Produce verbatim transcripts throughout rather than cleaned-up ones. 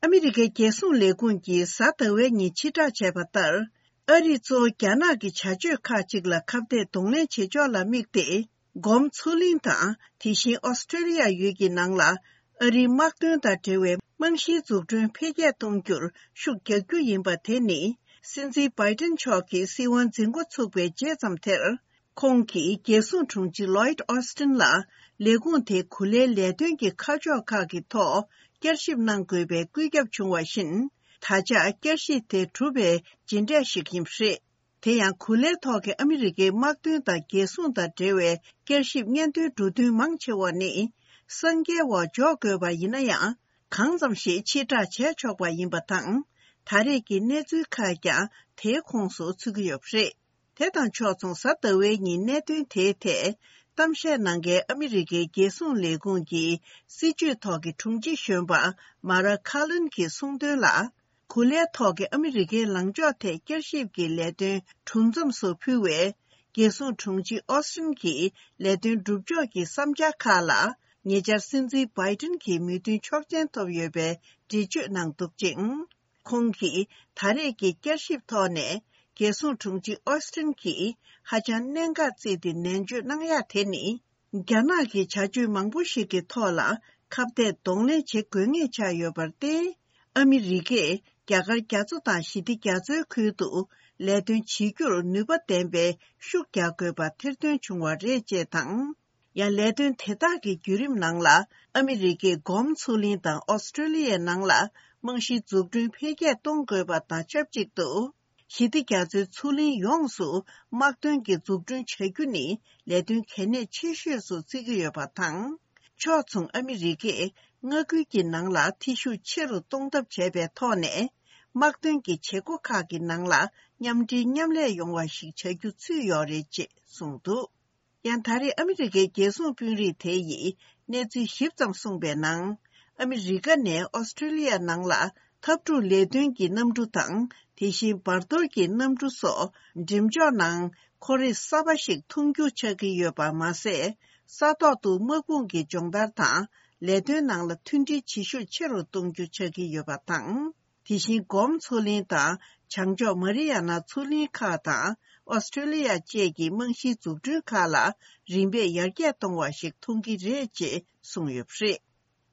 ཨ་མི་རི་ཀའི་རྒྱལ་སྲུང་ལས་ཁུངས་ཀྱིས་གཟའ་ཟླ་བའི་ཉིན་ཕྱིར་བསྒྲགས་བྱས་པ་ལྟར། ཨ་རིས་གཙོ་བོ་རྒྱ་ནག་གི་བྱ་སྤྱོད་ཁག་ཅིག་ལ་ཁ་གཏད་གདོང་ལེན་བྱེད་ཕྱོགས་ལ་དམིགས་ཏེ། སྒོམ་མཚོ་གླིང་དང་དེ་བཞིན་ཨོ་སི་ཀྲོ་ལི་ཡ་ཡུལ་གྱི་ནང་ལ། ཨ་རིའི་དམག་དོན་དང་འབྲེལ་བའི་རྨང་གཞིའི་འཛུགས་སྐྲུན་འཕེལ་རྒྱས་གཏོང་རྒྱུར་ཤུགས་རྒྱག་རྒྱུ་ཡིན་པ་དེ་ནི། སྲིད་འཛིན་བྷའི་ཏིན་མཆོག་གི་སྲིད་དབང་འཛིན་འགོ་ཚུགས་པའི་རྗེས་ཙམ་དེར། ཁོང་གིས་རྒྱལ་སྲུང་དྲུང་ཆེ་ལོའིད་ཨོ་སི་ཏིན་ལ་ལས་ཁུངས་དེའི་གོ་ལའི་ལས་དོན་གྱི་ཁ་ཕྱོགས་ཁག་གི་ཐོག་བསྐྱར་ཞིབ་གནང་དགོས་པའི་བཀོད་ཁྱབ་བྱུང་བ་བཞིན། ད་ཆ་བསྐྱར་ཞིབ་དེ་གྲུབ་པའི་རྗེས་འབྲས་ཤིག་ཡིན་པ་རེད། དེ་ཡང་གོ་ལའི་ཐོག་གི་ཨ་མི་རི་ཀའི་དམག་དོན་དང་རྒྱལ་སྲུང་དང་འབྲེལ་བའི་བསྐྱར་ཞིབ་སྙན་ཐོའི་འགྲོ་དོན་མང་ཆེ་བ་ནི། གསང་རྒྱའི་འོག་འཇོག་དགོས་པ་ཡིན་ན་ཡང་། གང་ཙམ་ཞིག་ཕྱིར་བསྒྲགས་བྱས་ཆོག་པ་ཡིན་པ་དང་། ད་རེས་ཀྱི་གནས་ཚུལ་ཁག་ཀྱང་དེའི་ཁོངས་སུ་ཚུད་ཀྱི་ཡོད་པ་རེད། དེ་དང་ཕྱོགས་མཚུངས་གཟའ་ཟླ་བའི་ཉིན་གནད་དོན་དེའི་ཐད་གཏམ་བཤད་གནང་མཁན་ཨ་མི་རི་ཀའི་རྒྱལ་སྲུང་ལས་ཁུངས་ཀྱི་སྲིད་བྱུས་ཐོག་གི་དྲུང་ཆེ་གཞོན་པ་མ་ར་ཁ་ལིན་གྱིས་གསུངས་དོན་ལ། གོ་ལའི་ཐོག་གི་ཨ་མི་རི་ཀའི་ལངས་ཕྱོགས་ཐད་བསྐྱར་ཞིབ་ཀྱི་ལས་དོན་གྲུབ་མཚམས་སུ་ཕུལ་བའི། རྒྱལ་སྲུང་དྲུང་ཆེ་ཨོ་སི་ཏིན་གྱིས་ལས་དོན་སྒྲུབ་ཕྱོགས་ཀྱི་བསམ་འཆར་ཁག་ལ། ཉེ་ཆར་སྲིད་འཛིན་བྷའི་ཏིན་གྱིས་མོས་མཐུན་ཆོག་མཆན་ཐོབ་ཡོད་པའི་འགྲེལ་བརྗོད་གནང་འདུག་ཅིང་། ཁོང་གིས་ད་རེས་ཀྱི་བསྐྱར་ཞིབ་ཐོག་ནས། རྒྱལ་སྲུང་དྲུང་ཆེ་ཨོ་སི་ཏིན་གྱིས་ཧ་ཅང་གནད་འགག་བརྩིས་ཏེ་ནན་བརྗོད་གནང་ཡག་དེ་ནི། རྒྱ་ནག་གི་བྱ་སྤྱོད་མང་པོ་ཞིག་གི་ཐོག་ལ་ཁ་གཏད་གདོང་ལེན་བྱེད་དགོས་ངེས་ཆགས་ཡོད་པར་བརྟེན། ཨ་མི་རི་ཀས་རྒྱ་གར་རྒྱ་མཚོ་དང་ཞི་བདེ་རྒྱ་མཚོའི་ཁུལ་དུ་ལས་དོན་བྱེད་རྒྱུར་ནུས་པ་ལྡན་པའི་ཤུགས་རྒྱག་དགོས་པ་ཐེར་འདོན་བྱུང་བ་རེད་ཅེས་དང་། ཡང་ལས་དོན་དེ་དག་གི་བརྒྱུད་རིམ་ནང་ལ། ཨ་མི་རི་ཀས་སྒོམ་མཚོ་གླིང་དང་ཨོ་སི་ཀྲོ་ལི་ཡའི་ནང་ལ་རྨང་གཞིའི་འཛུགས་སྐྲུན་འཕེལ་རྒྱས་གཏོང་དགོས་པ་དང་ཆབས་ཅིག་ཏུ། ཞི་བདེ་རྒྱ་མཚོའི་མཚོ་གླིང་ཡོངས་སུ་དམག་དོན་གྱི་འཛུགས་སྐྲུན་བྱ་རྒྱུ་ནི་ལས་དོན་གལ་གནད་ཆེ་ཤོས་སུ་བརྩི་གི་ཡོད་པ་དང་། ཕྱོགས་མཚུངས་ཨ་མི་རི་ཀས་མངའ་ཁུལ་གྱི་ནང་ལ་འཐུས་ཤུགས་ཆེ་རུ་གཏོང་ཐབས་བྱས་པའི་ཐོག་ནས། དམག་དོན་གྱི་བྱེད་སྒོ་ཁག་གི་ནང་ལ་མཉམ་འབྲེལ་མཉམ་ལས་ཡོང་བ་ཞིག་བྱ་རྒྱུ་ཚུད་ཡོད་རེད་ཅེས་གསུངས་འདུག་ཡང་ད་རེས་ཨ་མི་རི་ཀའི་རྒྱལ་སྲུང་དཔོན་རིགས་དེ་ཡིས་གནས་ཚུལ་ཞིབ་ཙམ་གསུངས་པའི་ནང་། ཨ་མི་རི་ཀ་ནས་ཨོ་སི་ཀྲོ་ལི་ཡ་ནང་ལ་འཐབ་འཁྲུག་ལས་དོན་གྱི་གནམ་གྲུ་དང་། དེ་བཞིན་བར་དོར་གྱི་གནམ་གྲུ་སོགས་འགྲེམས་འཇོག་ནང་འཁོར་རིགས་གསར་པ་ཞིག་མཐོང་རྒྱུ་ཆགས་ཀྱི་ཡོད་པ་མ་ཟད། ས་ཐོག་ཏུ་དམག་དཔུང་གི་སྦྱོང་བརྡར་དང་ལས་དོན་ནང་ལ་མཐུན་སྒྲིལ་བྱེད་ཤུགས་ཆེ་རུ་གཏོང་རྒྱུ་ཆགས་ཀྱི་ཡོད་པ་དང་། དེ་བཞིན་སྒོམ་མཚོ་གླིང་དང་བྱང་ཕྱོགས་མ་རི་ཡ་ན་མཚོ་གླིང་ཁག་དང་ཨོ་སི་ཀྲོ་ལི་ཡ་བཅས་ཀྱི་རྨང་གཞིའི་འཛུགས་སྐྲུན་ཁག་ལ་རིམ་པས་ཡར་རྒྱས་གཏོང་བ་ཞིག་མཐོང་གི་རེད་ཅེས་གསུངས་ཡོད་པ་རེད།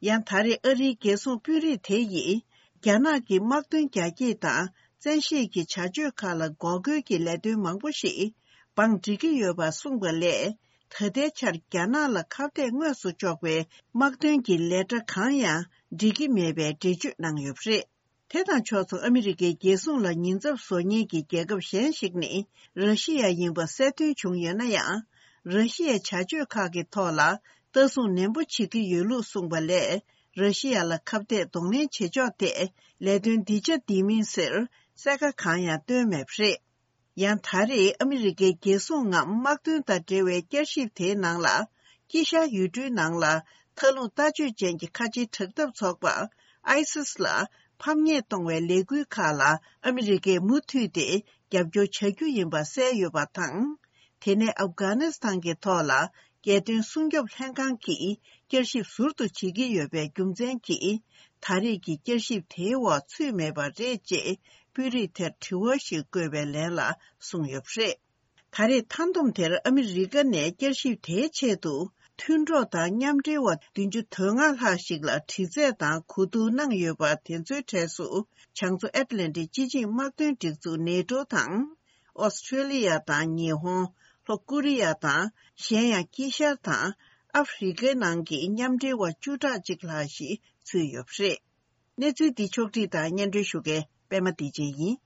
ཡང་ད་རེས་ཨ་རིའི་རྒྱལ་སྲུང་དཔོན་རིགས་དེ་ཡིས་རྒྱ་ནག་གི་དམག་དོན་རྒྱ་སྐྱེད་དང་བཙན་ཤེད་ཀྱི་བྱ་སྤྱོད་ཁག་ལ་འགོག་རྒོལ་གྱི་ལས་དོན་མང་པོ་ཞིག་བང་སྒྲིག་གི་ཡོད་པ་གསུངས་པ་ལས། ད་ལྟའི་ཆར་རྒྱ་ནག་ལ་ཁ་གཏད་དངོས་སུ་གཅོག་པའི་དམག་དོན་གྱི་ལས་གྲྭ་གང་ཡང་སྒྲིག་གི་མེད་པའི་འགྲེལ་བརྗོད་གནང་ཡོད་པ་རེད། དེ་དང་ཕྱོགས་མཚུངས་ཨ་མི་རི་ཀའི་རྒྱལ་སྲུང་ལ་ཉེན་ཚབས་བཟོ་མཁན་གྱི་རྒྱལ་ཁབ་གཞན་ཞིག་ནི་ར་ཤི་ཡ་ཡིན་པ་གསལ་སྟོན་བྱུང་ཡོད་ན་ཡང་། ར་ཤི་ཡའི་བྱ་སྤྱོད་ཁག་གི་ཐོག་ལ་ལྟ་སྲུང་ནན་པོ་བྱེད་ཀྱི་ཡོད་ལུགས་གསུངས་པ་ལས། ར་ཤི་ཡ་ལ་ཁ་གཏད་གདོང་ལེན་བྱེད་ཕྱོགས་ཐད་ལས་དོན་འདི་བྱ་འདི་མིན་ཟེར་གསལ་ཁ་གང་ཡང་བཏོན་མེད་པ་རེད། ཡང་ད་རེས་ཨ་མི་རི་ཀའི་རྒྱལ་སྲུང་ངམ་དམག་དོན་དང་འབྲེལ་བའི་བསྐྱར་ཞིབ་དེའི་ནང་ལ། དཀྱིལ་ཤར་ཡུལ་གྲུའི་ནང་ལ་མཐའ་ལྷུང་ལྟ་སྤྱོད་ཅན་གྱི་ཁ་ཆེའི་དྲག་འཐབ་ཚོགས་པ་ཨའི་སིས་ལ་ཕམ་ཉེས་གཏོང་བའི་ལས་འགུལ་ཁག་ལ་ཨ་མི་རི་ཀས་མུ་མཐུད་དེ་རྒྱབ་སྐྱོར་བྱ་རྒྱུ་ཡིན་པ་གསལ་ཡོད་པ་དང་། དེ་ནས་ཨབ་གྷ་ནི་སི་ཐན་གྱི་ཐོག་ལ་རྒྱལ་དོན་སྲུང་སྐྱོབ་ལྷན་ཁང་གིས་བསྐྱར་ཞིབ་ཟུར་དུ་བྱེད་ཀྱི་ཡོད་པའི་རྒྱུ་མཚན་གྱིས། ད་རེས་ཀྱི་བསྐྱར་ཞིབ་དེའི་འོག་ཚུད་མེད་པ་རེད་ཅེས་དཔོན་རིགས་དེར་དྲི་བ་ཞིག་བཀོད་པའི་ལན་ལ་གསུངས་ཡོད་པ་རེད། ད་རེས་མཐའ་བསྡོམས་དེར་ཨ་མི་རི་ཀ་ནས་བསྐྱར་ཞིབ་དེའི་ཆེད་དུ་མཐུན་གྲོགས་དང་མཉམ་འབྲེལ་བ་བདུན་ཅུ་དོན་ལྔ་ལྷག་ཞིག་ལ་དྲི་རྩད་དང་གོ་བསྡུར་གནང་ཡོད་པ་དེ་ཚོའི་གྲས་སུ་བྱང་མཚོ་ཨེཊ་ལན་ཊིག་སྤྱི་ཆིངས་དམག་དོན་སྒྲིག་འཛུགས་ནེ་ཊོ་དང་། ཨོ་སི་ཀྲོ་ལི་ཡ་དང་ཉི་ཧོང་། ལྷོ་ཀོ་རི་ཡ་དང་། གཞན་ཡང་དཀྱིལ་ཤར་དང་ཨ་ཧྥེ་རི་ཀའི་ནང་གི་མཉམ་འབྲེལ་བ་བཅུ་ཕྲག་གཅིག་ལྷག་ཞིག་ཚུད་ཡོད་པ་རེད། གནས་ཚུལ་འདི་ཕྱོགས་བསྒྲིགས་དང་སྙན་སྒྲོན་ཞུ་མཁན་པད་མ་བདེ་ཆེན་ཡིན།